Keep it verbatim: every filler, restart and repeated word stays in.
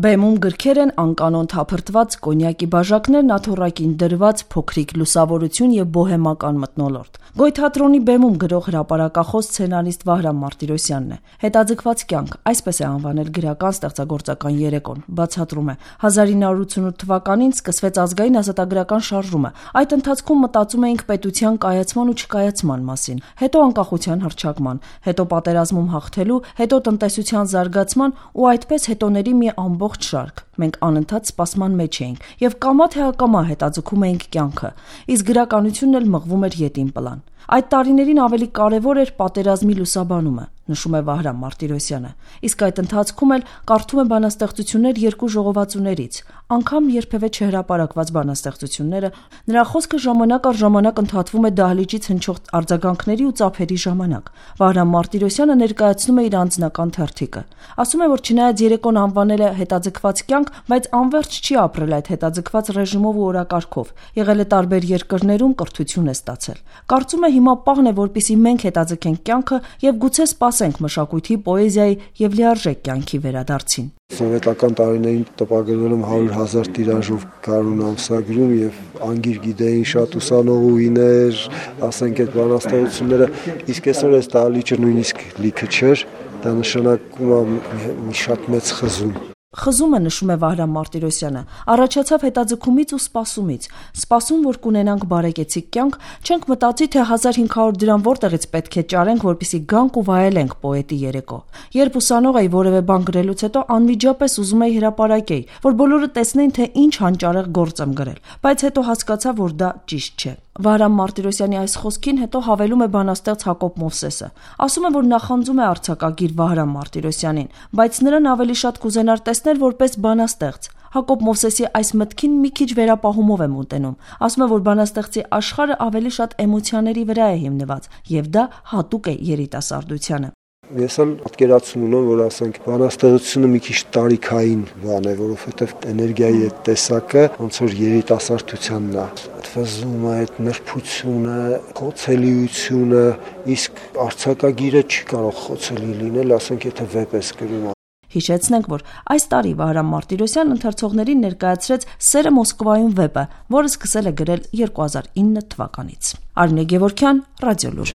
Բեմում գրքեր են անկանոն թափրտված կոնյակի բաժակներն աթոռակին դրված փոքրիկ լուսավորություն եւ բոհեմական մթնոլորտ։ Գոյթատրոնի բեմում գրող հրապարակախոս սցենարիստ Վահրամ Մարտիրոսյանն է։ Հետաձգված կյանք, այսպես է անվանել գրական ստեղծագործական երեկոն, բացատրում է. հազար ինը հարյուր ութսունութ թվականին սկսվեց ազգային ազատագրական շարժումը։ Այդ ընթացքում մտածում էինք պետության կայացման ու չկայացման մասին, հետո անկախության հռչակման, հետո պատերազմում հաղթելու, հետո տնտեսության զարգացման ու այդպես հետոների մի ամբողջ շարք։ Մենք անընդհատ սպասման մեջ էինք եւ կամա թե ակամա հետաձգում էինք կյանքը, իսկ գրականությունն էլ մղվում էր ետին պլան։ Այդ տարիներին ավելի կարևոր էր պատերազմի լուսաբանումը, նշում է Վահրամ Մարտիրոսյանը, իսկ այդ ընթացքում էլ կարդում է բանաստեղծություններ երկու ժողովածուներից, անգամ երբևէ չհրապարակված բանաստեղծությունները, նրա խոսքը ժամանակ առ ժամանակ ընդհատվում է դահլիճից հնչող արձագանքների ու ծափերի ժամանակ։ Վահրամ Մարտիրոսյանը ներկայացնում է իր անձնական թերթիկը։ Ասում է, որ չնայած երեկոն անվանել է հետաձգված կյանք, բայց անվերջ չի ապրել այդ հետաձգված ռեժիմով ու օրակարգով, եղել է տարբեր երկրներում, կրթություն է ստացել։ Կարծում է հիմա պահն է, որպեսզի մենք հետաձգենք կյանքը եւ գուցե սպասենք մշակույթի, պոեզիայի եւ լիարժեք կյանքի վերադարձին։ Սովետական տարիներին տպագրվել եմ հարյուր հազար տիրաժով գարուն ամսագրում եւ անգիր գիտեին շատ ուսանողուհիներ, ասենք այդ բանաստեղծությունները, իսկ այսօր այս դահլիճը նույնիսկ լիքը չէր, դա նշանակում է մի շատ մեծ խզում։ Խզումը, նշում է Վահրամ Մարտիրոսյանը, առաջացավ հետաձգումից ու սպասումից։ Սպասում, որ կունենանք բարեկեցիկ կյանք, չենք մտածի, թե հազար հինգ հարյուր դրամ որտեղից պետք է ճարենք, որպեսզի գանք ու վայելենք պոետի երեկո։ Երբ ուսանող էի, որևէ բան գրելուց հետո անմիջապես ուզում էի հրապարակեի, որ բոլորը տեսնեին, թե ինչ հանճարեղ գործ եմ գրել, բայց հետո հասկացա, որ դա ճիշտ չէ։ Վահրամ Մարտիրոսյանի այս խոսքին հետո հավելում է բանաստեղծ Հակոբ Մովսեսը։ Ասում է, որ նախանձում է արձակագիր Վահրամ Մարտիրոսյանին, բայց նրան ավելի շատ կուզենար տեսնել որպես բանաստեղծ։ Հակոբ Մովսեսի այս մտքին մի քիչ վերապահումով եմ ուտենում։ Ասում է, որ բանաստեղծի աշխարհը ավելի շատ էմոցիաների վրա է հիմնված, եւ դա հատուկ է երիտասարդությանը։ Ես էլ պատկերացում ունեմ, որ ասենք բանաստեղծությունը մի քիչ տարիքային բան է, որովհետև էներգիայի այդ տեսակը ոնց որ երիտասարդությանն է, ֆզումը, այդ նրբությունը, խոցելիությունը, իսկ արձակագիրը չի կարող խոցելի լինել, ասենք եթե վեպ ես գրում։ Հիշեցնենք, որ այս տարի Վահրամ Մարտիրոսյանն ընթերցողներին ներկայացրեց «Սերը Մոսկվայում» վեպը, որը սկսել է գրել երկու հազար ինը թվականից։ Արմինե Գևորգյան, Ռադիոլուր։